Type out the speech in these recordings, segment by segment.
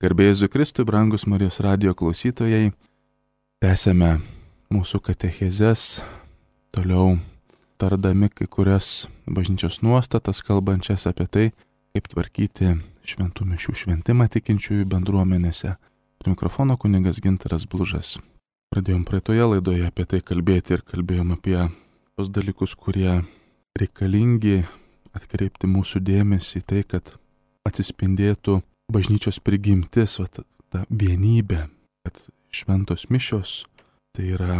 Garbė Jėzui Kristui, brangus Marijos radijo klausytojai, tęsėme mūsų katechezes, toliau tardami kai kurias bažnyčios nuostatas, kalbančias apie tai, kaip tvarkyti šventų mišių šventimą tikinčiųjų bendruomenėse. Prie mikrofono kunigas Gintaras Blužas. Pradėjom praeitoje laidoje apie tai kalbėti ir kalbėjom apie tos dalykus, kurie reikalingi atkreipti mūsų dėmesį į tai, kad atsispindėtų bažnyčios prigimtis, ta vienybė, kad šventos mišios tai yra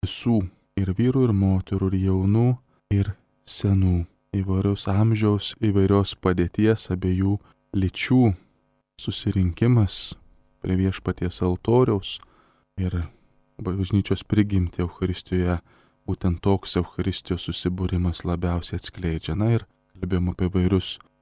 visų ir vyrų, ir moterų, ir jaunų, ir senų, įvairiaus amžiaus, įvairios padėties, abiejų lyčių susirinkimas prie viešpaties altoriaus ir bažnyčios prigimti Eucharistijoje, būtent toks Eucharistijos susibūrimas labiausiai atskleidžia. Na ir kalbėjom apie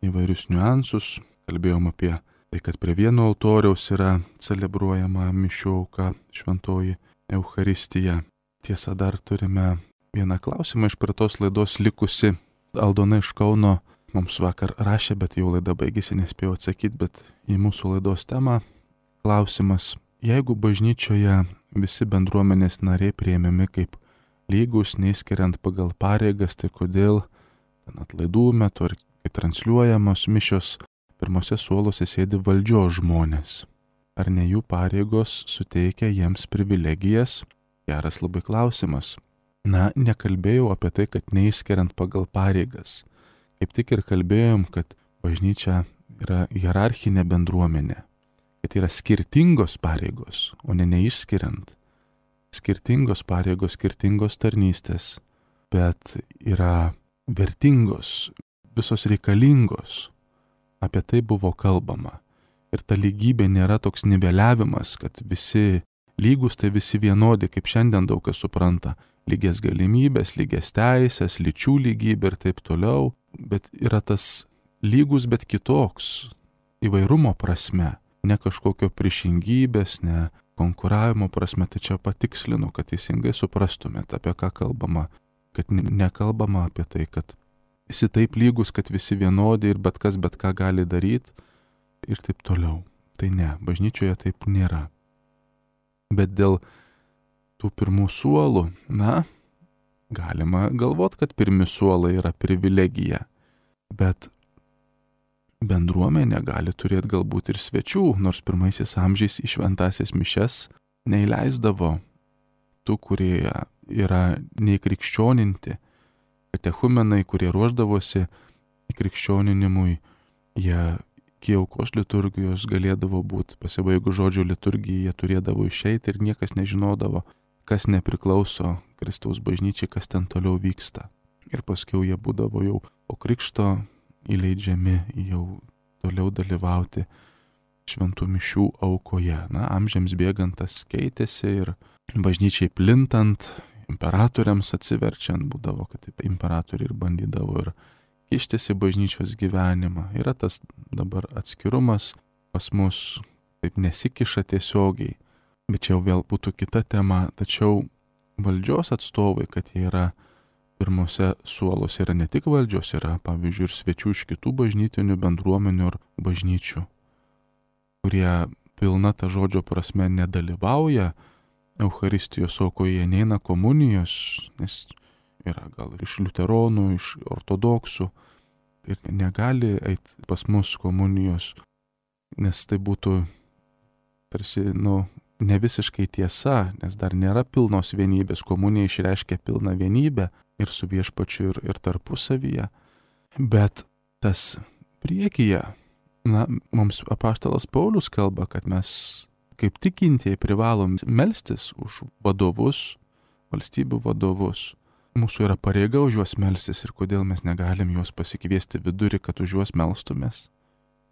įvairius niuansus, kalbėjom apie tai, kad prie vieno altoriaus yra celebruojama mišių auka, šventoji Eucharistija. Tiesa, dar turime vieną klausimą iš praeitos laidos likusi. Aldona iš Kauno mums vakar rašė, bet jau laida baigėsi, nespėjau atsakyti, bet į mūsų laidos temą klausimas. Jeigu bažnyčioje visi bendruomenės nariai priėmimi kaip lygus, neįskiriant pagal pareigas, tai kodėl atlaidų metu ar kai transliuojamos mišios pirmose suoluose sėdi valdžios žmonės? Ar ne jų pareigos suteikia jiems privilegijas? Geras labai klausimas. Na, nekalbėjau apie tai, kad neįskiriant pagal pareigas. Kaip tik ir kalbėjom, kad bažnyčia yra hierarchinė bendruomenė. Kad yra skirtingos pareigos, o ne neišskiriant. Skirtingos pareigos, skirtingos tarnystės, bet yra vertingos, visos reikalingos. Apie tai buvo kalbama. Ir ta lygybė nėra toks niveliavimas, kad visi lygus, tai visi vienodi, kaip šiandien daug kas supranta. Lygias galimybės, lygias teisės, lyčių lygybė ir taip toliau. Bet yra tas lygus, bet kitoks. Įvairumo prasme. Ne kažkokio priešingybės, ne konkuravimo prasme. Tai čia patikslinu, kad teisingai suprastumėte, apie ką kalbama. Kad nekalbama apie tai, kad visi taip lygus, kad visi vienodi ir bet kas bet ką gali daryti ir taip toliau. Tai ne, bažnyčioje taip nėra. Bet dėl tų pirmų suolų, galima galvoti, kad pirmi suolai yra privilegija. Bet bendruomenė gali turėti galbūt ir svečių, nors pirmaisiais amžiais į šventąsias mišias neįleisdavo tų, kurie yra neįkrikščioninti. Katechumenai, kurie ruošdavosi įkrikščioninimui, jie iki aukos liturgijos galėdavo būti, pasibaigus žodžio liturgijai, jie turėdavo išeiti ir niekas nežinodavo, kas nepriklauso Kristaus bažnyčiai, kas ten toliau vyksta. Ir paskui jie būdavo jau po krikšto įleidžiami jau toliau dalyvauti šventų mišių aukoje. Amžiams bėgant tas keitėsi ir bažnyčiai plintant, imperatoriams atsiverčiant būdavo, kad imperatoriai ir bandydavo ir kištis į bažnyčios gyvenimą. Yra tas dabar atskirumas pas mus, taip nesikiša tiesiogiai. Bet čia jau vėl būtų kita tema. Tačiau valdžios atstovai, kad jie yra pirmose suoluose, yra ne tik valdžios, yra pavyzdžiui ir svečių iš kitų bažnytinių bendruomenių ir bažnyčių, kurie pilna ta žodžio prasme nedalyvauja Eucharistijos aukoje, neina komunijos, nes yra gal ir iš liuteronų, iš ortodoksų ir negali eiti pas mus komunijos, nes tai būtų tarsi, ne visiškai tiesa, nes dar nėra pilnos vienybės. Komunija išreiškia pilną vienybę ir su viešpačiu ir tarpusavyje. Bet tas priekyje, mums apaštalas Paulius kalba, kad mes kaip tikintieji privalom melstis už vadovus, valstybių vadovus. Mūsų yra pareiga už juos melstis ir kodėl mes negalim juos pasikviesti vidurį, kad už juos melstumės?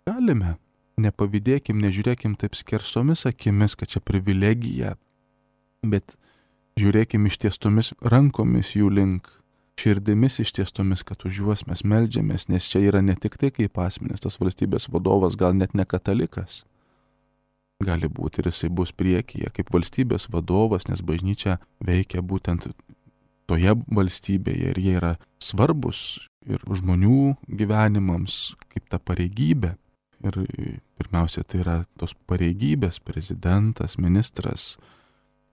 Galime. Nepavydėkim, nežiūrėkim taip skersomis akimis, kad čia privilegija, bet žiūrėkim ištiestomis rankomis jų link, širdimis ištiestomis, kad už juos mes meldžiamės, nes čia yra ne tik tai kaip asmenis, tas valstybės vadovas gal net ne katalikas. Gali būti ir jisai bus priekyje kaip valstybės vadovas, nes bažnyčia veikia būtent toje valstybėje ir jie yra svarbus ir žmonių gyvenimams kaip ta pareigybė. Ir pirmiausia, tai yra tos pareigybės, prezidentas, ministras,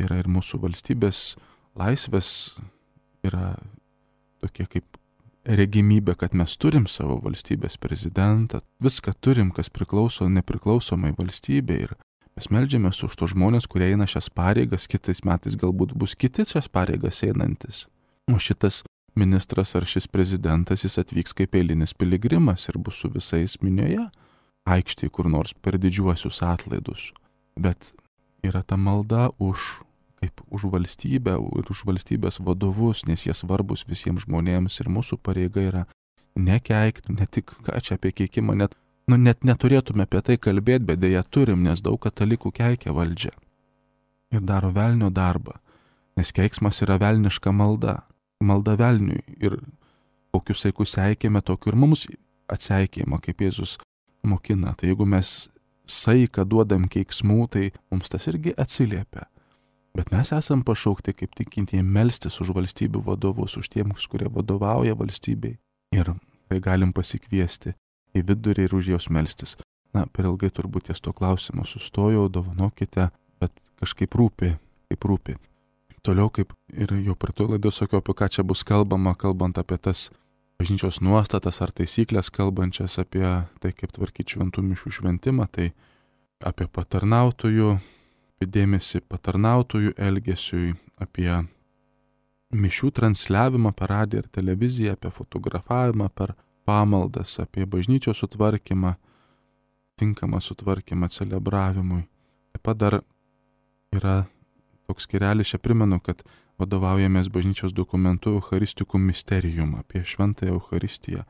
yra ir mūsų valstybės laisvės, yra tokie kaip regimybė, kad mes turim savo valstybės prezidentą, viską turim, kas priklauso nepriklausomai valstybei ir mes meldžiamės už tos žmonės, kurie eina šias pareigas, kitais metais galbūt bus kiti šias pareigas einantis. O šitas ministras ar šis prezidentas, jis atvyks kaip eilinis piligrimas ir bus su visais minioje, aikštėje kur nors per didžiuosius atlaidus. Bet yra ta malda už valstybę ir už valstybės vadovus, nes jie svarbus visiems žmonėms ir mūsų pareiga yra nekeikti, ne tik ką čia apie keikimą, net neturėtume apie tai kalbėti, bet dėja turim, nes daug katalikų keikia valdžią ir daro velnio darbą, nes keiksmas yra velniška malda velniui ir kokius saikus seikėme, tokiu ir mums atseikėjama, kaip Jėzus mokina. Tai jeigu mes saiką duodam keiksmų, tai mums tas irgi atsiliepia. Bet mes esam pašaukti kaip tikintieji melstis už valstybių vadovus, už tiems, kurie vadovauja valstybei. Ir tai galim pasikviesti į vidurį ir už jos melstis. Na, per ilgai turbūt ties to klausimo sustojau, dovanokite, bet kažkaip rūpi. Toliau, kaip ir jau prie to laidos sakiau, apie ką čia bus kalbama, kalbant apie tas bažnyčios nuostatas ar taisyklės, kalbančias apie tai, kaip tvarkyti šventų mišių šventimą, tai apie patarnautojų, dėmesį patarnautojų elgesiui, apie mišių transliavimą per radiją ir televiziją, apie fotografavimą per pamaldas, apie bažnyčios sutvarkymą, tinkamą sutvarkymą celebravimui. Taip pat dar yra toks skyrelis, čia primenu, kad vadovaujamės bažnyčios dokumentu Eucharisticum Mysterium, apie šventąją Eucharistiją,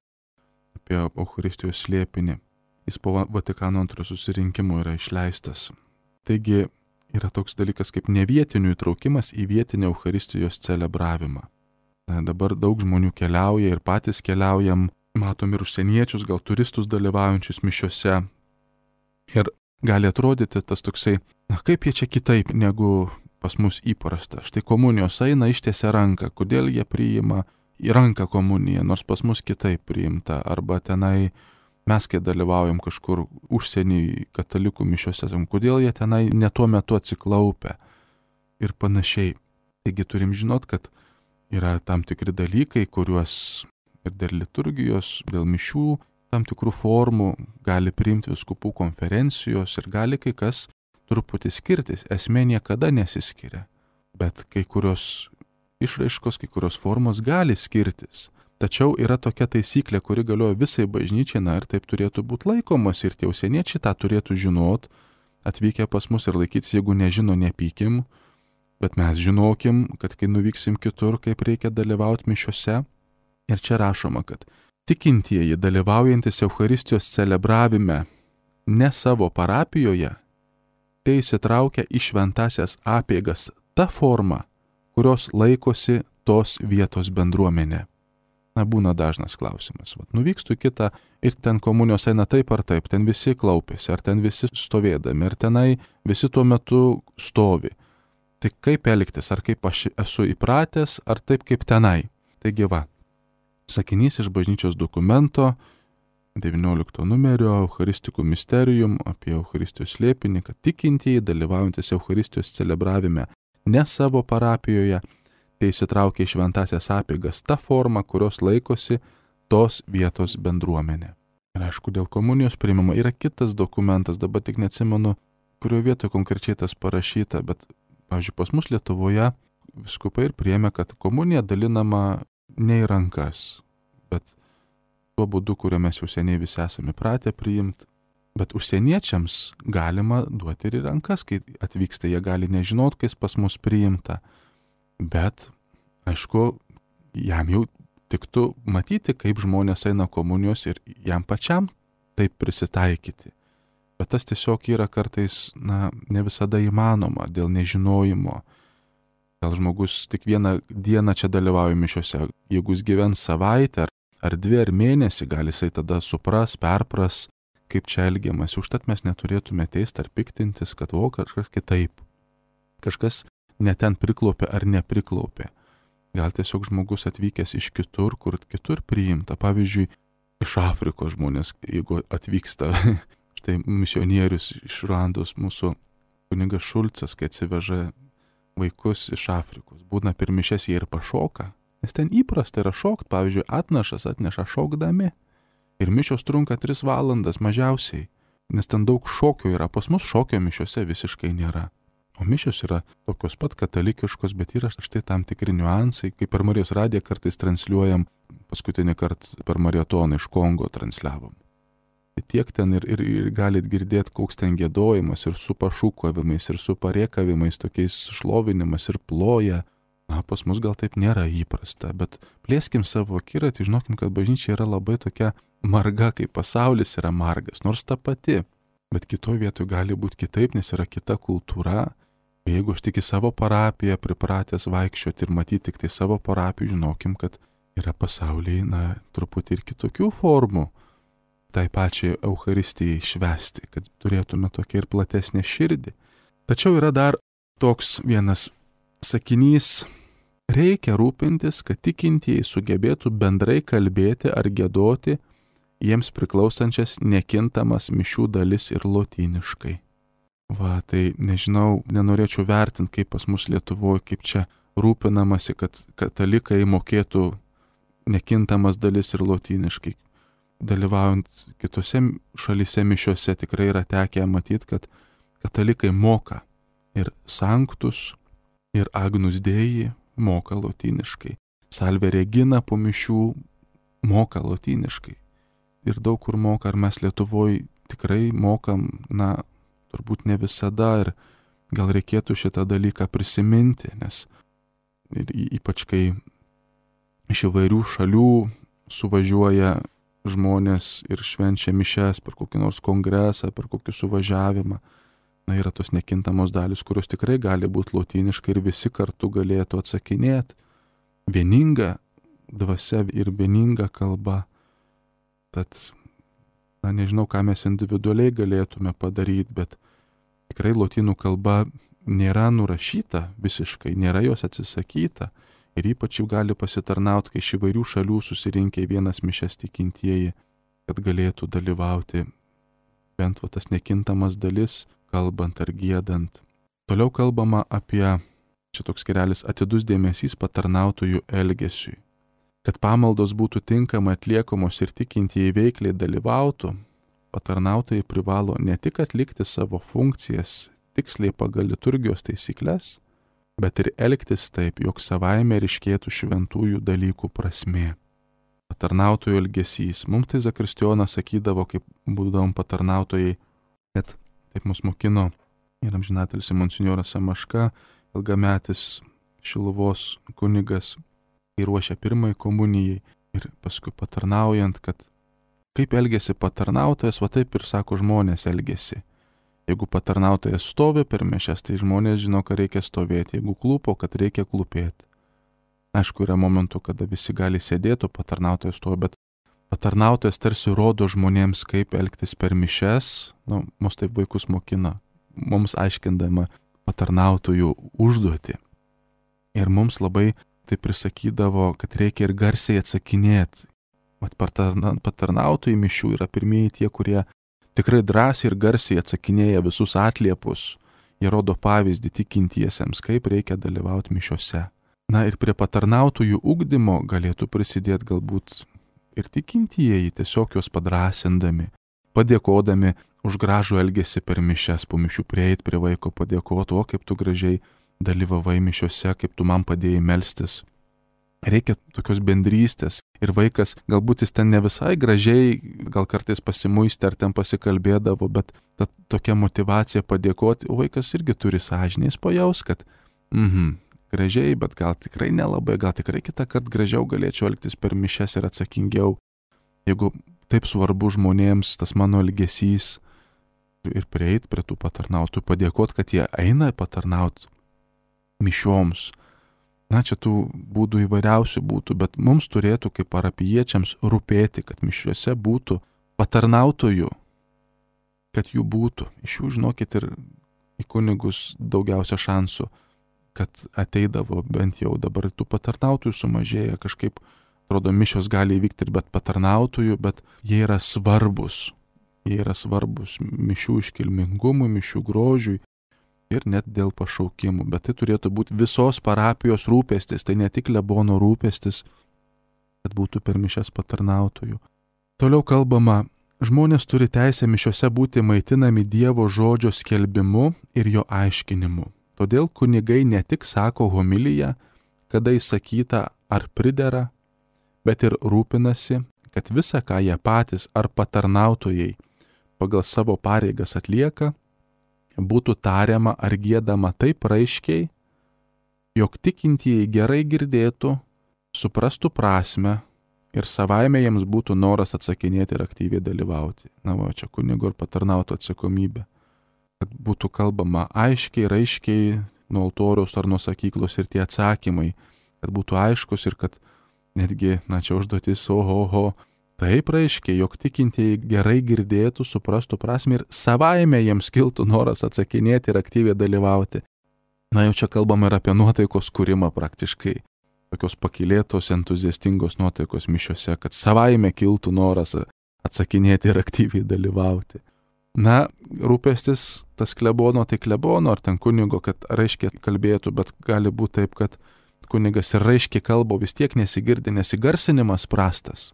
apie Eucharistijos slėpinį. Jis po Vatikano antrojo susirinkimo yra išleistas. Taigi yra toks dalykas kaip nevietinių įtraukimas į vietinę Eucharistijos celebravimą. Dabar daug žmonių keliauja ir patys keliaujam, matom ir užsieniečius, gal turistus dalyvaujančius mišiose. Ir gali atrodyti tas toksai, kaip jie čia kitaip negu pas mus įprasta. Štai komunijos eina, ištiesia ranką, kodėl jie priima į ranką komuniją, nors pas mus kitaip priimta, arba tenai mes, kai dalyvaujam kažkur užsienį katalikų mišiose, kodėl jie tenai ne tuo metu atsiklaupia ir panašiai. Taigi turim žinot, kad yra tam tikri dalykai, kuriuos ir dėl liturgijos, dėl mišių, tam tikrų formų gali priimti vyskupų konferencijos ir gali kai kas truputį skirtis. Esmė niekada nesiskiria, bet kai kurios išraiškos, kai kurios formos gali skirtis. Tačiau yra tokia taisyklė, kuri galioja visai bažnyčiai, ir taip turėtų būti laikomas ir tie užsieniečiai tą turėtų žinot, atvykę pas mus ir laikytis, jeigu nežino, nepykim, bet mes žinokim, kad kai nuvyksim kitur, kaip reikia dalyvauti mišiose. Ir čia rašoma, kad tikintieji dalyvaujantis Eucharistijos celebravime ne savo parapijoje, tai įsitraukia į šventasias apeigas ta forma, kurios laikosi tos vietos bendruomenė. Būna dažnas klausimas. Nuvykstu į kitą ir ten komunijos eina taip ar taip, ten visi klaupėsi, ar ten visi stovėdami, ar tenai visi tuo metu stovi. Tai kaip elgtis, ar kaip aš esu įpratęs, ar taip kaip tenai. Taigi sakinys iš bažnyčios dokumento 19 numerio Eucharisticum Mysterium apie Eucharistijos slėpinį, kad tikintieji dalyvaujantis Eucharistijos celebravime ne savo parapijoje, tai įsitraukia į šventasias apeigas ta forma, kurios laikosi tos vietos bendruomenė. Ir aišku, dėl komunijos priimama yra kitas dokumentas, dabar tik neatsimenu, kurio vietoje konkrečiai tas parašyta, bet, pavyzdžiui, pas mus Lietuvoje vyskupai ir priėmė, kad komunija dalinama ne į rankas, bet tuo būdu, kuriuo mes jau seniai visi esame pratę priimti. Bet užsieniečiams galima duoti ir į rankas, kai atvyksta, jie gali nežinot, kai pas mus priimta. Bet, aišku, jam jau tiktų matyti, kaip žmonės eina komunijos ir jam pačiam taip prisitaikyti. Bet tas tiesiog yra kartais, ne visada įmanoma dėl nežinojimo. Gal žmogus tik vieną dieną čia dalyvauja mišiose, jeigu jis gyvens savaitę ar 2 ar mėnesį, gali jisai tada supras, perpras, kaip čia elgiamasi. Užtat mes neturėtume teisti ar piktintis, kad kažkas kitaip. Kažkas ne ten priklaupė ar nepriklaupė. Gal tiesiog žmogus atvykęs iš kitur, kur kitur priimta. Pavyzdžiui, iš Afrikos žmonės, jeigu atvyksta, Štai misionierius iš Ruandos mūsų kunigas Šulcas, kai atsiveža vaikus iš Afrikos, būna per mišias jie ir pašoka, nes ten įprasta yra šokt, pavyzdžiui, atnašas atneša šokdami ir mišios trunka 3 valandas mažiausiai, nes ten daug šokio yra, pas mus šokio mišiose visiškai nėra. O mišios yra tokios pat katalikiškos, bet yra štai tam tikri niuansai, kaip per Marijos radiją kartais transliuojam, paskutinį kartą per maratoną iš Kongo transliavom. Tai tiek ten ir galit girdėti, koks ten giedojimas ir su pašūkavimais, ir su parėkavimais, tokiais šlovinimas ir ploja. Na, pas mus gal taip nėra įprasta, bet plėskim savo akiratį, žinokim, kad bažnyčia yra labai tokia marga, kaip pasaulis yra margas, nors ta pati. Bet kitoje vietoje gali būti kitaip, nes yra kita kultūra. Jeigu aš tik į savo parapiją pripratęs vaikščioti ir matyti tik tai savo parapiją, žinokim, kad yra pasaulyje, truputį ir kitokių formų tai pačiai Eucharistijai švęsti, kad turėtume tokią ir platesnę širdį. Tačiau yra dar toks vienas sakinys: reikia rūpintis, kad tikintieji sugebėtų bendrai kalbėti ar giedoti jiems priklausančias nekintamas mišių dalis ir lotyniškai. Va, tai nežinau, nenorėčiau vertinti, kaip pas mus Lietuvoje, kaip čia rūpinamasi, kad katalikai mokėtų nekintamas dalis ir lotyniškai. Dalyvaujant kitose šalyse mišiuose tikrai yra tekę matyti, kad katalikai moka ir Sanctus, ir Agnus Dei moka lotyniškai. Salve Regina po mišių moka lotyniškai. Ir daug kur moka, ar mes Lietuvoje tikrai mokam, turbūt ne visada, ir gal reikėtų šitą dalyką prisiminti, nes ir ypač kai iš įvairių šalių suvažiuoja žmonės ir švenčia mišias per kokį nors kongresą, per kokį suvažiavimą, yra tos nekintamos dalis, kurios tikrai gali būti lotyniškai ir visi kartu galėtų atsakinėti. Vieninga dvasia ir vieninga kalba. Tad, nežinau, ką mes individualiai galėtume padaryti, bet tikrai lotynų kalba nėra nurašyta visiškai, nėra jos atsisakyta. Ir ypač jau gali pasitarnauti, kai iš įvairių šalių susirinkę į vienas mišias tikintieji, kad galėtų dalyvauti bent tas nekintamas dalis, kalbant ar giedant. Toliau kalbama apie, čia toks skyrelis, atidus dėmesys patarnautojų elgesiui. Kad pamaldos būtų tinkamai atliekamos ir tikintieji veikliai dalyvautų, patarnautojai privalo ne tik atlikti savo funkcijas tiksliai pagal liturgijos taisyklės, bet ir elgtis taip, jog savaime ryškėtų šventųjų dalykų prasmė. Patarnautojų elgesys. Mums tai Zakristijonas sakydavo, kaip būdavom patarnautojai, kad taip mus mokino ir amžinatelis monsinjoras Samaška, ilgametis Šiluvos kunigas, kai ruošia pirmai komunijai ir paskui patarnaujant, kad kaip elgesi patarnautojas, va taip ir sako žmonės elgesi. Jeigu patarnautojas stovi per mišias, tai žmonės žino, kad reikia stovėti. Jeigu klūpo, kad reikia klūpėti. Aišku, yra momentų, kada visi gali sėdėti, o patarnautojas stovi, bet patarnautojas tarsi rodo žmonėms, kaip elgtis per mišias. Mus taip vaikus mokina, mums aiškindama patarnautojų užduotį. Ir mums labai tai prisakydavo, kad reikia ir garsiai atsakinėti. Patarnautojai mišių yra pirmieji tie, kurie tikrai drąsiai ir garsiai atsakinėja visus atliepus. Jie rodo pavyzdį tikintiesiems, kaip reikia dalyvauti mišiuose. Ir prie patarnautojų ugdymo galėtų prisidėti galbūt ir tikintieji, tiesiog juos padrąsindami, padėkodami už gražų elgesį per mišias, po mišių prieiti prie vaiko, padėkoti, o kaip tu gražiai dalyvavai mišiuose, kaip tu man padėjai melstis. Reikia tokios bendrystės ir vaikas, galbūt jis ten ne visai gražiai, gal kartais pasimuistė ar ten pasikalbėdavo, bet ta tokia motyvacija padėkoti, o vaikas irgi turi sąžinės pajaus, kad gražiai, bet gal tikrai nelabai, gal tikrai kitą kartą gražiau galėčiau elgtis per mišias ir atsakingiau. Jeigu taip svarbu žmonėms tas mano elgesys ir prieit prie tų patarnautojų, padėkoti, kad jie eina patarnauti mišioms. Čia tų būdų įvairiausių būtų, bet mums turėtų kaip parapijiečiams rūpėti, kad mišiuose būtų patarnautojų, kad jų būtų. Iš jų, žinokit, ir į kunigus daugiausia šansų, kad ateidavo bent jau dabar tų patarnautojų sumažėja, kažkaip, atrodo, mišios gali įvykti ir bet patarnautojų, bet jie yra svarbus. Jie yra svarbus mišių iškilmingumui, mišių grožiui ir net dėl pašaukimų. Bet tai turėtų būti visos parapijos rūpestis, tai ne tik klebono rūpestis, kad būtų per mišias patarnautojų. Toliau kalbama, žmonės turi teisę mišiose būti maitinami Dievo žodžio skelbimu ir jo aiškinimu. Todėl kunigai ne tik sako homiliją, kada įsakyta ar pridera, bet ir rūpinasi, kad visa, ką jie patys ar patarnautojai pagal savo pareigas atlieka, būtų tariama ar giedama taip raiškiai, jog tikintieji gerai girdėtų, suprastų prasme ir savaime jiems būtų noras atsakinėti ir aktyviai dalyvauti. Na va, čia kunigo ir patarnauto atsakomybė. Kad būtų kalbama aiškiai, raiškiai nuo altoriaus ar nuo sakyklos ir tie atsakymai, kad būtų aiškus ir kad netgi, čia užduotis, taip raiškiai, jog tikintieji gerai girdėtų, suprastų prasme ir savaime jiems kiltų noras atsakinėti ir aktyviai dalyvauti. Na jau čia kalbama ir apie nuotaikos kūrimą praktiškai. Tokios pakylėtos, entuziastingos nuotaikos mišiose, kad savaime kiltų noras atsakinėti ir aktyviai dalyvauti. Na, rūpestis tas klebono, tai klebono ar ten kunigo, kad raiškiai kalbėtų, bet gali būti taip, kad kunigas ir raiškiai kalba, vis tiek nesigirdi, nes įgarsinimas prastas.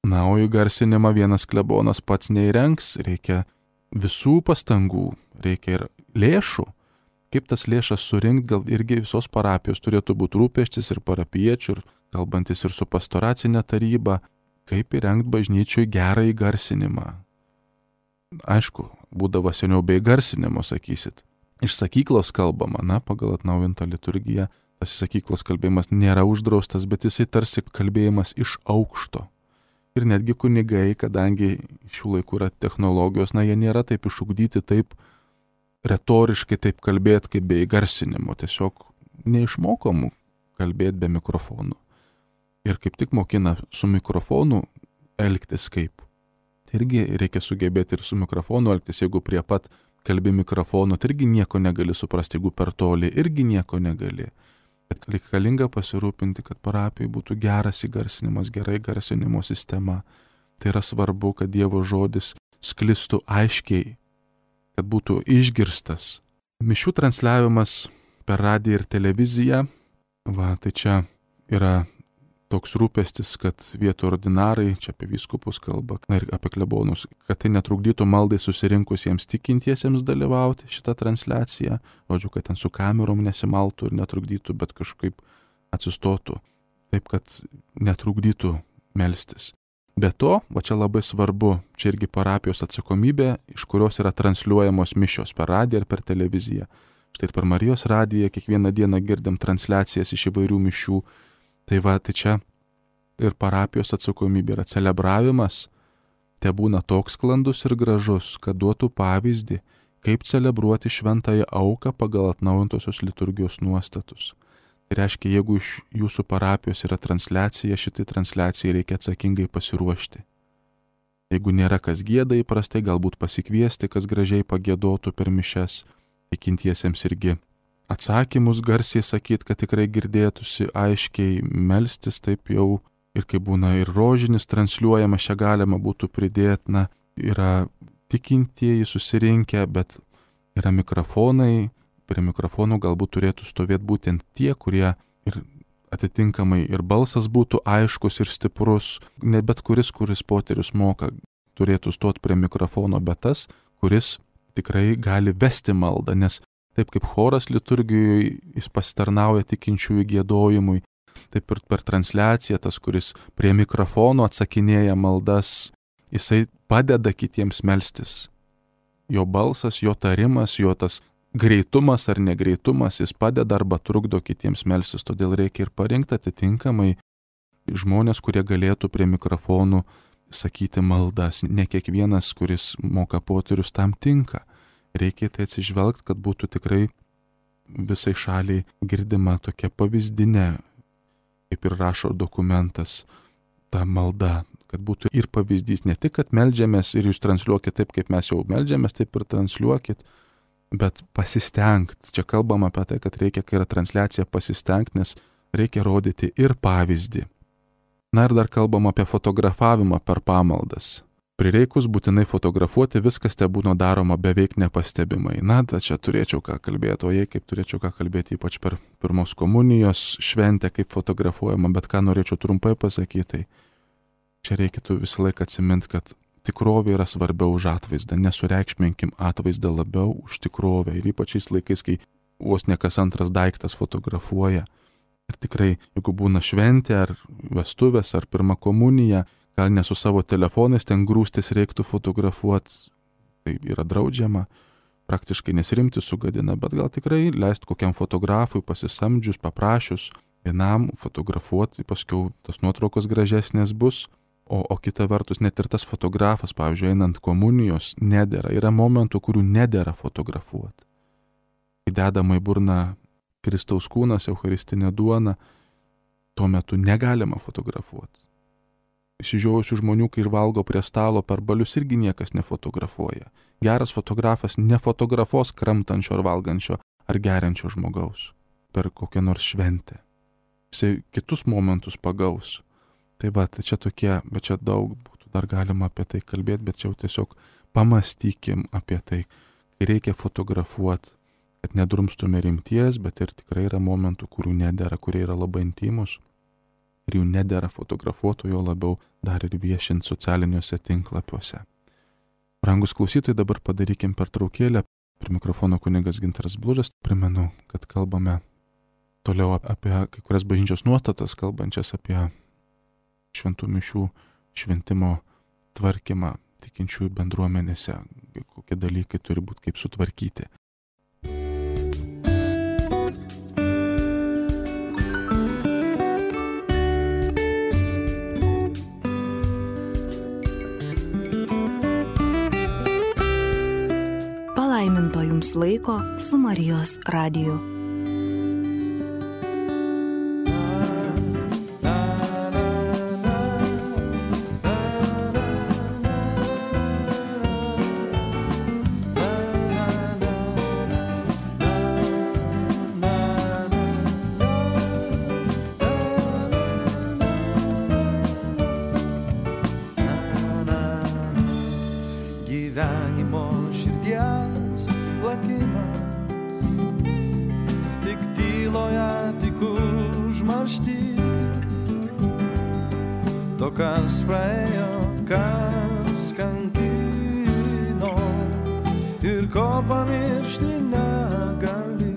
Na, o įgarsinimą vienas klebonas pats neįrengs, reikia visų pastangų, reikia ir lėšų. Kaip tas lėšas surinkti, gal irgi visos parapijos turėtų būti rūpestis ir parapiečių, ir kalbantis ir su pastoracinė taryba, kaip įrengti bažnyčiui gerą įgarsinimą. Aišku, būdavo seniau be įgarsinimo, sakysit. Iš sakyklos kalbama, pagal atnaujintą liturgiją, tas sakyklos kalbėjimas nėra uždraustas, bet jisai tarsi kalbėjimas iš aukšto. Ir netgi kunigai, kadangi šių laikų yra technologijos, jie nėra taip išugdyti, taip retoriškai taip kalbėti kaip be įgarsinimo, tiesiog neišmokomų kalbėti be mikrofonų. Ir kaip tik mokina su mikrofonu elgtis kaip. Tai irgi reikia sugebėti ir su mikrofonu elgtis, jeigu prie pat kalbi mikrofonu, tai irgi nieko negali suprasti, jeigu per toli, irgi nieko negali. Bet reikalinga pasirūpinti, kad parapijai būtų geras įgarsinimas, gerai garsinimo sistema. Tai yra svarbu, kad Dievo žodis sklistų aiškiai, kad būtų išgirstas. Mišių transliavimas per radiją ir televiziją, tai čia yra toks rūpestis, kad vietų ordinarai, čia apie vyskupus kalba, ir apie klebonus, kad tai netrukdytų maldai susirinkusiems tikintiesiems dalyvauti šitą transliaciją, žodžiu, kad ten su kamerom nesimaltų ir netrukdytų, bet kažkaip atsistotų, taip, kad netrukdytų melstis. Be to, čia labai svarbu, čia irgi parapijos atsakomybė, iš kurios yra transliuojamos mišios per radiją ir per televiziją. Štai ir per Marijos radiją kiekvieną dieną girdim transliacijas iš įvairių mišių. Tai čia ir parapijos atsakomybė yra celebravimas, te būna toks sklandus ir gražus, kad duotų pavyzdį, kaip celebruoti šventąją auką pagal atnaujintosios liturgijos nuostatus. Tai reiškia, jeigu iš jūsų parapijos yra transliacija, šitai transliacijai reikia atsakingai pasiruošti. Jeigu nėra kas gieda įprastai, galbūt pasikviesti, kas gražiai pagiedotų per mišias, tikintiesiems irgi atsakymus garsiai sakyti, kad tikrai girdėtųsi aiškiai, melstis taip jau, ir kai būna ir rožinis transliuojamas, čia galima būtų pridėti, yra tikintieji susirinkę, bet yra mikrofonai, prie mikrofonų galbūt turėtų stovėti būtent tie, kurie ir atitinkamai ir balsas būtų aiškus ir stiprus, ne bet kuris poterius moka, turėtų stoti prie mikrofono, bet tas, kuris tikrai gali vesti maldą, nes taip kaip choras liturgijoje jis pasitarnauja tikinčiųjų giedojimui, taip ir per transliaciją tas, kuris prie mikrofono atsakinėja maldas, jisai padeda kitiems melstis. Jo balsas, jo tarimas, jo tas greitumas ar negreitumas, jis padeda arba trukdo kitiems melstis, todėl reikia ir parinkti atitinkamai žmonės, kurie galėtų prie mikrofonų sakyti maldas. Ne kiekvienas, kuris moka poterius, tam tinka. Reikia tai atsižvelgti, kad būtų tikrai visai šaliai girdima tokia pavyzdinė, kaip ir rašo dokumentas, ta malda, kad būtų ir pavyzdys, ne tik, kad meldžiamės ir jūs transliuokit taip, kaip mes jau meldžiamės, taip ir transliuokit, bet pasistengti. Čia kalbama apie tai, kad reikia, kai yra transliacija, pasistengti, nes reikia rodyti ir pavyzdį. Na ir dar kalbama apie fotografavimą per pamaldas. Prireikus būtinai fotografuoti, viskas te būna daroma beveik nepastebimai. Na, čia turėčiau ką kalbėti, o jei kaip turėčiau ką kalbėti, ypač per pirmos komunijos šventę, kaip fotografuojama, bet ką norėčiau trumpai pasakyti, tai čia reikėtų visą laiką atsiminti, kad tikrovė yra svarbiau už atvaizdą, nesureikšminkim atvaizdą labiau už tikrovę ir ypač šiais laikais, kai vos ne kas antras daiktas fotografuoja. Ir tikrai, jeigu būna šventė ar vestuvės ar pirma komunija, gal ne su savo telefonais ten grūstis reiktų fotografuoti, tai yra draudžiama, praktiškai nesrimti sugadina, bet gal tikrai leisti kokiam fotografui pasisamdžius, paprašius vienam fotografuoti, paskiau tas nuotraukos gražesnės bus, o kita vertus net ir tas fotografas, pavyzdžiui, einant komunijos, nedera, yra momentų, kurių nedera fotografuoti. Kai dedama į burną Kristaus kūnas, eucharistinė duona, tuo metu negalima fotografuoti. Išsižiojusių žmonių, kai ir valgo prie stalo per balius, irgi niekas nefotografuoja. Geras fotografas nefotografuos kramtančio ar valgančio ar geriančio žmogaus per kokią nors šventę. Jisai kitus momentus pagaus. Tai va, tai čia tokie, bet čia daug būtų dar galima apie tai kalbėti, bet čia jau tiesiog pamastykim apie tai, kai reikia fotografuoti, kad nedrumstume rimties, bet ir tikrai yra momentų, kurių nedera, kurie yra labai intimus ir jų nedera fotografuotų, jo labiau dar ir viešinti socialiniuose tinklapiuose. Brangus klausytojai, dabar padarykim pertraukėlę. Prie mikrofono kunigas Gintaras Blužas. Primenu, kad kalbame toliau apie kai kurias bažnyčios nuostatas, kalbančias apie šventų mišių šventimo tvarkymą tikinčiųjų bendruomenėse, kokie dalykai turi būti kaip sutvarkyti. Palaiminto jums laiko su Marijos radiju. Gyvenimo širdies plakimas, tik tyloje, tik užmaršty. To, kas praėjo, kas kankino ir ko pamiršti negali.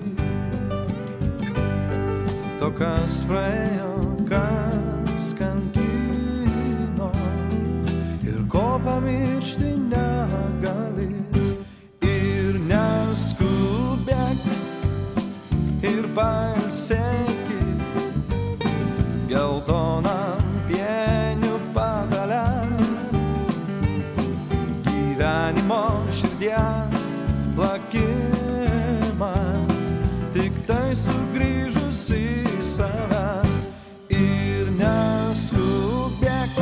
To, kas praėjo, kas kankino ir ko pamiršti negali. Ir neskubėk ir pailsėki geltonam pienių patale. Gyvenimo širdies plakimas, tik tai sugrįžus į save. Ir neskubėk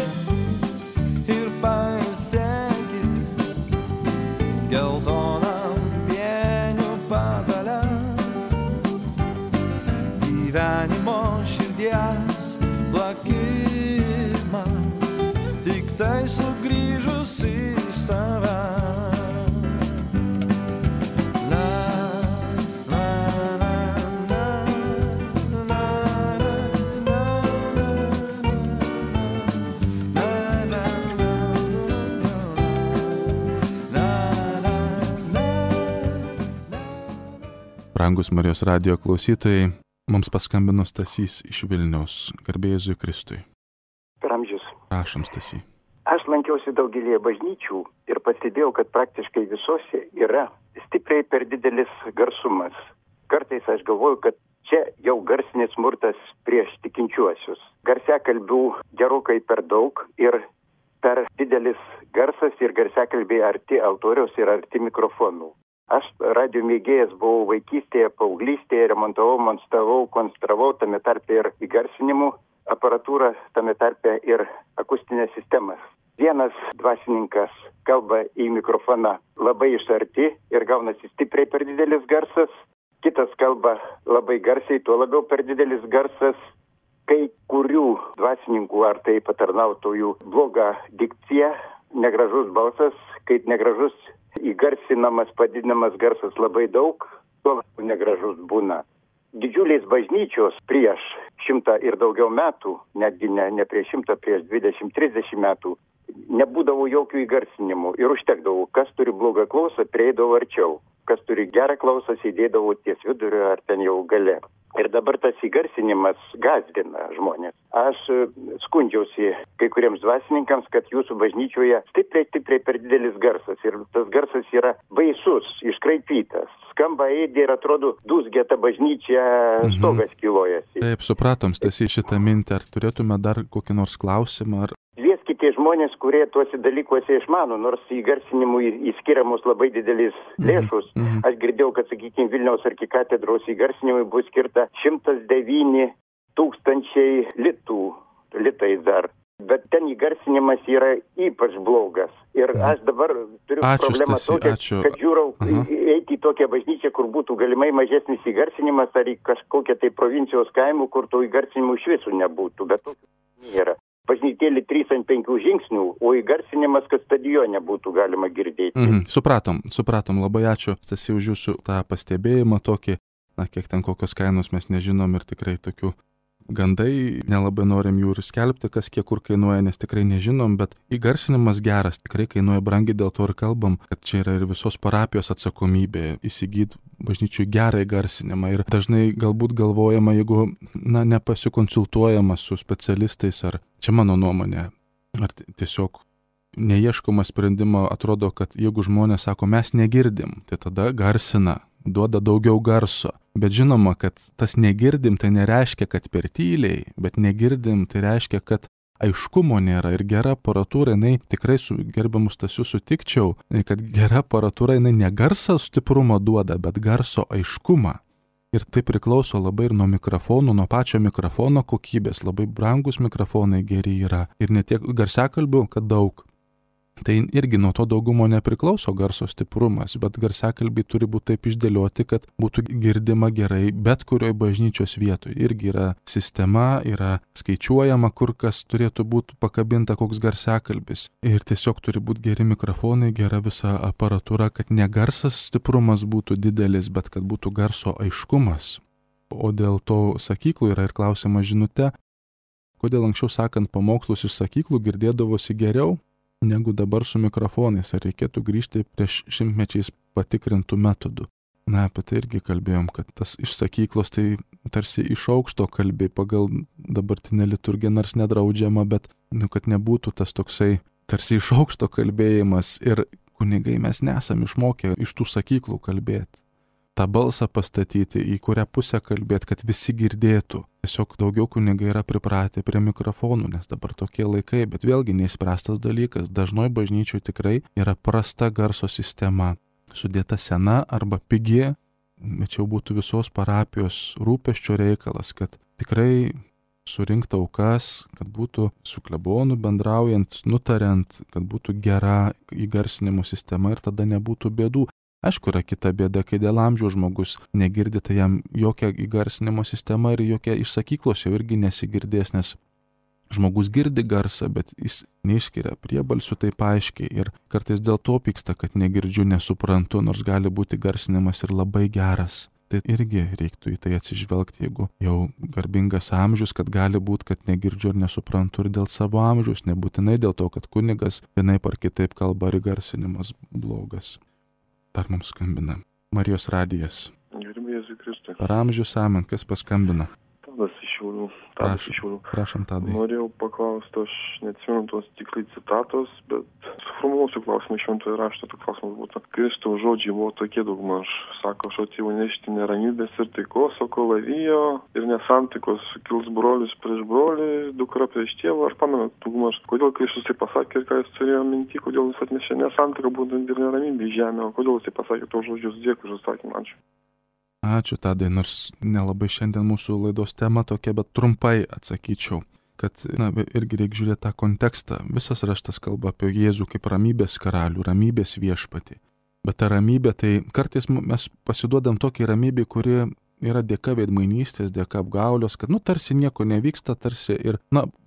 ir pailsėki geltonam pienių patale. Gyvenimo širdies plakimas, tik tai sugrįžus į save. Brangus Marijos radijo klausytojai, mums paskambino Stasys iš Vilniaus. Garbė Jėzui Kristui. Per amžius. Prašom, Stasy. Aš lankiausi daugelėje bažnyčių ir pastebėjau, kad praktiškai visose yra stipriai per didelis garsumas. Kartais aš galvoju, kad čia jau garsinis smurtas prieš tikinčiuosius. Garsiakalbių gerokai per daug ir per didelis garsas ir garsiakalbiai arti altoriaus ir arti mikrofonų. Aš radio mėgėjas buvau vaikystėje, paauglystėje, remontavau, konstravau, tame tarpe ir įgarsinimų aparatūrą, tame tarpe ir akustinės sistemas. Vienas dvasininkas kalba į mikrofoną labai iš arti ir gaunasi stipriai per didelis garsas, kitas kalba labai garsiai, tuo labiau per didelis garsas. Kai kurių dvasininkų ar tai patarnautojų bloga dikcija negražus balsas, kaip negražus įgarsinamas, padidinamas garsas labai daug, tuo negražus būna. Didžiulės bažnyčios prieš 100 ir daugiau metų, netgi ne prieš 100, prieš 20-30 metų, nebūdavo jokių įgarsinimų ir užtekdavo, kas turi blogą klausą, prieidavo arčiau, kas turi gerą klausą, sėdėdavo ties vidurio ar ten jau gale. Ir dabar tas įgarsinimas gąsdina žmonės. Aš skundžiausi kai kuriems dvasininkams, kad jūsų bažnyčioje stipriai per didelis garsas. Ir tas garsas yra baisus, iškraipytas. Skamba eidė ir atrodo dūzgia ta bažnyčia, stogas kilojasi. Taip, supratom, Stasy, šitą mintį. Ar turėtume dar kokį nors klausimą? Kvieskite žmonės, kurie tuose dalykuose išmano, nors įgarsinimui įskiriamos labai didelis lėšus. Aš girdėjau, kad, sakykime, Vilniaus arkikatedros įgarsinimui bus skirta 109 000 litai dar. Bet ten įgarsinimas yra ypač blogas. Ir aš dabar turiu problemą tokią, kad žiūrau eiti į tokią bažnyčią, kur būtų galimai mažesnis įgarsinimas, ar į kažkokią tai provincijos kaimų, kur to įgarsinimų iš visų nebūtų. Bet to nėra. Bažnytėlį 3 ant 5 žingsnių, o įgarsinimas, kad stadione būtų galima girdėti. Supratom. Labai ačiū, Stasy, už jūsų tą pastebėjimą tokį. Kiek ten kokios kainos mes nežinom ir tikrai tokių gandai, nelabai norim jų ir skelbti, kas kiek kur kainuoja, nes tikrai nežinom, bet įgarsinimas geras, tikrai kainuoja brangiai, dėl to ir kalbam, kad čia yra ir visos parapijos atsakomybė įsigyti bažnyčiui gerą įgarsinimą. Ir dažnai galbūt galvojama, jeigu nepasikonsultuojama su specialistais, ar čia mano nuomonė, ar tiesiog neieškoma sprendimo, atrodo, kad jeigu žmonės sako, mes negirdim, tai tada garsina, duoda daugiau garso. Bet žinoma, kad tas negirdim tai nereiškia, kad per tyliai, bet negirdim tai reiškia, kad aiškumo nėra. Ir gera aparatūra, jinai tikrai su gerbiamu Stasiu sutikčiau, kad gera aparatūra, jinai ne garso stiprumą duoda, bet garso aiškumą. Ir tai priklauso labai ir nuo mikrofonų, nuo pačio mikrofono kokybės. Labai brangus mikrofonai geri yra. Ir ne tiek garsiakalbių, kad daug. Tai irgi nuo to daugumo nepriklauso garso stiprumas, bet garsiakalbiai turi būti taip išdėlioti, kad būtų girdima gerai bet kurioje bažnyčios vietoje. Irgi yra sistema, yra skaičiuojama, kur kas turėtų būti pakabinta koks garsiakalbis. Ir tiesiog turi būti geri mikrofonai, gera visa aparatūra, kad ne garsas stiprumas būtų didelis, bet kad būtų garso aiškumas. O dėl to sakyklų yra ir klausimas žinute, kodėl anksčiau sakant pamokslus iš sakyklų girdėdavosi geriau negu dabar su mikrofonais, ar reikėtų grįžti prieš 100 patikrintų metodų. Apie tai irgi kalbėjom, kad tas iš sakyklos tai tarsi iš aukšto kalbė pagal dabartinę liturgiją, nors nedraudžiama, bet kad nebūtų tas toksai tarsi iš aukšto kalbėjimas ir kunigai mes nesam išmokę iš tų sakyklų kalbėti. tą balsą pastatyti, į kurią pusę kalbėti, kad visi girdėtų. Tiesiog daugiau kunigai yra pripratę prie mikrofonų, nes dabar tokie laikai, bet vėlgi neįspręstas dalykas. Dažnai bažnyčių tikrai yra prasta garso sistema, sudėta sena arba pigi, bet jau būtų visos parapijos rūpesčio reikalas, kad tikrai surinkti aukas, kad būtų su klebonu bendraujant, nutariant, kad būtų gera įgarsinimo sistema ir tada nebūtų bėdų. Aišku, yra kita bėda, kai dėl amžiaus žmogus negirdi, tai jam jokia įgarsinimo sistema ir jokia iš sakyklos jau irgi nesigirdės, nes žmogus girdi garsą, bet jis neišskiria priebalsių taip aiškiai ir kartais dėl to pyksta, kad negirdžiu, nesuprantu, nors gali būti garsinimas ir labai geras. Tai irgi reiktų į tai atsižvelgti, jeigu jau garbingas amžius, kad gali būti, kad negirdžiu ir nesuprantu ir dėl savo amžiaus, nebūtinai dėl to, kad kunigas vienaip ar kitaip kalba ir garsinimas blogas. Dar mums skambina Marijos radijas. Gerbėjai Jėzui Kristui. Per amžius amen, kas paskambina? Tadas iš Šiaulių. Prašom, Tadai. Norėjau paklausti, aš neatsimenu tos tiksliai citatos, bet suformuluosiu klausimą šventojo rašto, tai klausimas būtų. Kristaus žodžiai buvo tokie daugmaž, sako, aš atėjau nešti neramybės ir taikos, o kalavijo ir nesantaikos sukils brolis prieš brolį, dukra prieš tėvą. Aš pamenu, daugmaž, kodėl Kristus tai pasakė ir ką jis turėjo minty, kodėl jis atnešė nesantaiką būtent ir neramybę į žemę, o kodėl jis tai pasakė tos žodžius. Dėkui už atsakymą. Ačiū. Ačiū, Tadai, nors nelabai šiandien mūsų laidos tema tokia, bet trumpai atsakyčiau, kad irgi reikia žiūrėti tą kontekstą. Visas raštas kalba apie Jėzų kaip ramybės karalių, ramybės viešpatį. Bet ta ramybė, tai kartais mes pasiduodam tokiai ramybė, kuri yra dėka veidmainystės, dėka apgaulios, kad tarsi nieko nevyksta, tarsi ir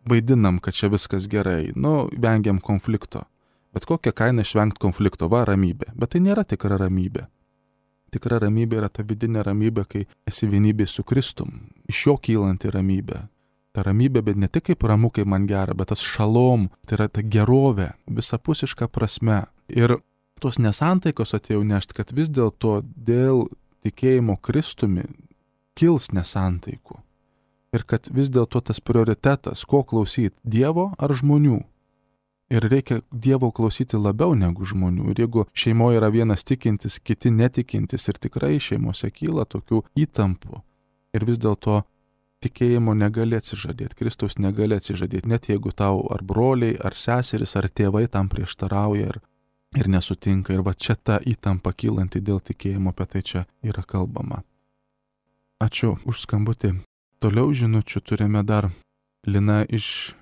vaidinam, kad čia viskas gerai, vengiam konflikto. Bet kokią kainą išvengti konflikto, va ramybė. Bet tai nėra tikra ramybė. Tikra ramybė yra ta vidinė ramybė, kai esi vienybė su Kristum, iš jo kylanti ramybė. Ta ramybė, bet ne tik kaip ramu, kai man gera, bet tas šalom, tai yra ta gerovė, visapusiška prasme. Ir tos nesantaikos atėjau nešti, kad vis dėlto dėl tikėjimo Kristumi kils nesantaikų. Ir kad vis dėlto tas prioritetas, ko klausyti, Dievo ar žmonių. Ir reikia Dievo klausyti labiau negu žmonių. Ir jeigu šeimoje yra vienas tikintis, kiti netikintis ir tikrai šeimose kyla tokių įtampų. Ir vis dėlto tikėjimo negali atsižadėti, Kristaus negali atsižadėti, net jeigu tau ar broliai, ar seseris, ar tėvai tam prieštarauja ir nesutinka. Ir va čia ta įtampa kylanti dėl tikėjimo, apie tai čia yra kalbama. Ačiū už skambutį. Toliau žinučių turime dar. Lina iš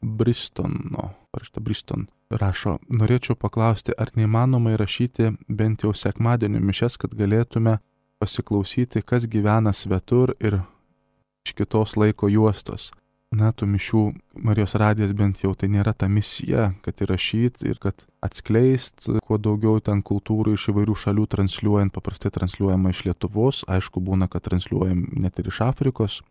Bristono. Briston rašo, norėčiau paklausti, ar neįmanoma įrašyti bent jau sekmadienio mišias, kad galėtume pasiklausyti, kas gyvena svetur ir iš kitos laiko juostos. Na, tų mišių Marijos radijas bent jau tai nėra ta misija, kad įrašyti ir kad atskleist kuo daugiau ten kultūrų iš įvairių šalių transliuojant, paprastai transliuojama iš Lietuvos, aišku būna, kad transliuojam net ir iš Afrikos.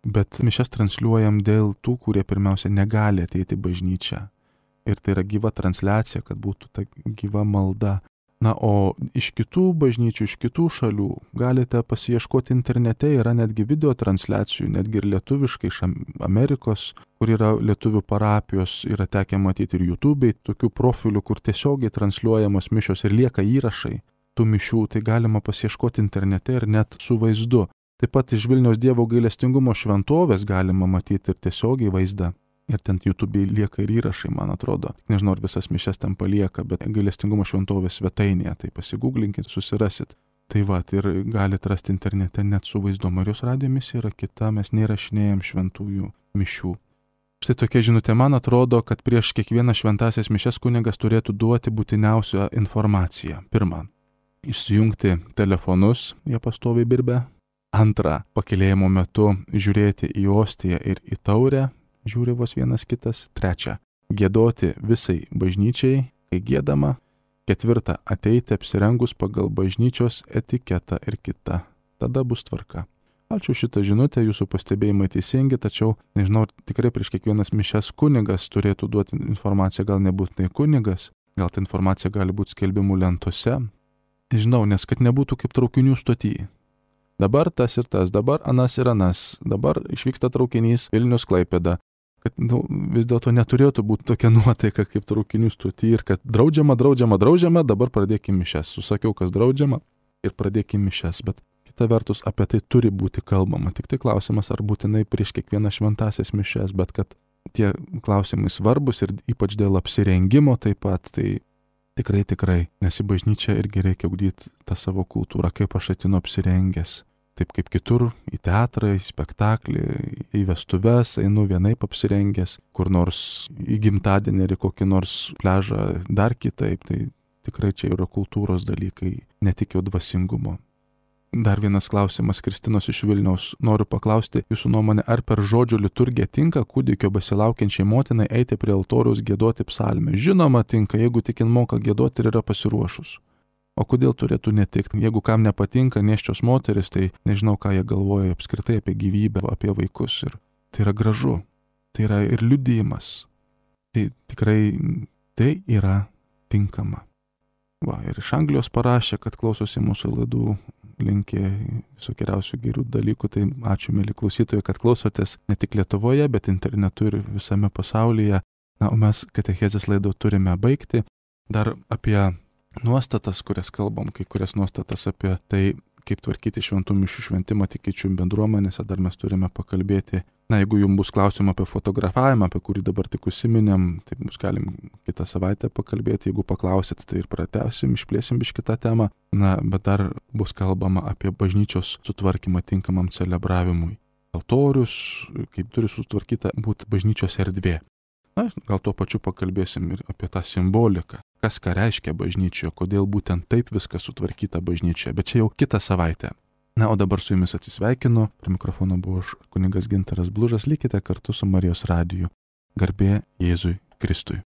Bet mišias transliuojam dėl tų, kurie pirmiausia negali ateiti į bažnyčią. Ir tai yra gyva transliacija, kad būtų ta gyva malda. Na, o iš kitų bažnyčių, iš kitų šalių galite pasiieškoti internete, yra netgi video transliacijų, netgi ir lietuviškai iš Amerikos, kur yra lietuvių parapijos, yra tekę matyti ir YouTube'ai, tokių profilių, kur tiesiogiai transliuojamos mišios ir lieka įrašai tų mišių, tai galima pasiieškoti internete ir net su vaizdu. Taip pat iš Vilniaus Dievo gailestingumo šventovės galima matyti ir tiesiogiai vaizdą. Ir ten YouTube'ai lieka ir įrašai, man atrodo. Nežinau, ar visas mišias ten palieka, bet gailestingumo šventovės svetainėje, tai pasigūglinkit, susirasit. Tai va, ir galite rasti internete net su vaizdu. Marijos radijo misija yra kita, mes neįrašinėjam šventųjų mišių. Štai tokia žinutė, man atrodo, kad prieš kiekvieną šventasias mišias kunigas turėtų duoti būtiniausią informaciją. Pirma, išsijungti telefonus, jie pastoviai birbia. Antra, pakilėjimo metu žiūrėti į ostiją ir į taurę, žiūri vos vienas kitas. Trečia, giedoti visai bažnyčiai, kai giedama. Ketvirta, ateiti apsirengus pagal bažnyčios etiketą ir kita. Tada bus tvarka. Ačiū šitą žinutę, jūsų pastebėjimai teisingi, tačiau, nežinau, tikrai prieš kiekvienas mišias kunigas turėtų duoti informaciją, gal nebūtinai kunigas, gal ta informacija gali būti skelbimų lentose. Nežinau, nes kad nebūtų kaip traukinių stotyje. Dabar tas ir tas, dabar anas ir anas, dabar išvyksta traukinys Vilnius Klaipėda. Kad vis dėlto neturėtų būti tokia nuotaika kaip traukinių stoty ir kad draudžiama, dabar pradėkime mišias. Susakiau, kas draudžiama ir pradėkime mišias, bet kita vertus apie tai turi būti kalbama. Tik tai klausimas, ar būtinai prieš kiekvieną šventasias mišias, bet kad tie klausimai svarbus ir ypač dėl apsirengimo taip pat, tai tikrai, nes į bažnyčią irgi reikia ugdyti tą savo kultūrą, kaip aš atinu apsirengęs. Taip kaip kitur, į teatrą, į spektaklį, į vestuves, einu vienaip apsirengęs, kur nors į gimtadienį ar į kokį nors pliažą dar kitaip, tai tikrai čia yra kultūros dalykai, ne tik jau dvasingumo. Dar vienas klausimas Kristinos iš Vilniaus. Noriu paklausti jūsų nuomonę, ar per žodžio liturgiją tinka kūdikio besilaukiančiai motinai eiti prie altoriaus giedoti psalmę? Žinoma, tinka, jeigu tik jin moka giedoti ir yra pasiruošus. O kodėl turėtų netikti? Jeigu kam nepatinka nėščios moteris, tai nežinau, ką jie galvoja apskritai apie gyvybę, apie vaikus. Ir tai yra gražu. Tai yra ir liudijimas. Tai tikrai tai yra tinkama. Va, ir iš Anglijos parašė, kad klausosi mūsų laidų, linkė visokiausių gerų dalykų. Tai ačiū, mėly klausytojai, kad klausotės ne tik Lietuvoje, bet internetu ir visame pasaulyje. Na, o mes katechezės laidą turime baigti. Dar apie nuostatas, kurias kalbam, kai kurias nuostatas apie tai, kaip tvarkyti šventų mišių šventimą tikinčių bendruomenėse, dar mes turime pakalbėti. Na, jeigu jums bus klausimų apie fotografavimą, apie kurį dabar tik užsiminėm, tai mes galim kitą savaitę pakalbėti. Jeigu paklausit, tai ir pratęsim, išplėsim biškį kitą temą. Na, bet dar bus kalbama apie bažnyčios sutvarkymą tinkamam celebravimui. Altorius, kaip turi sutvarkyta būti bažnyčios erdvė. Na, gal tuo pačiu pakalbėsim ir apie tą simboliką. Kas ką reiškia bažnyčioje, kodėl būtent taip viskas sutvarkyta bažnyčioje, bet čia jau kitą savaitę. Na, o dabar su jumis atsisveikinu. Prie mikrofono buvo kunigas Gintaras Blužas. Likite kartu su Marijos radiju. Garbė Jėzui Kristui.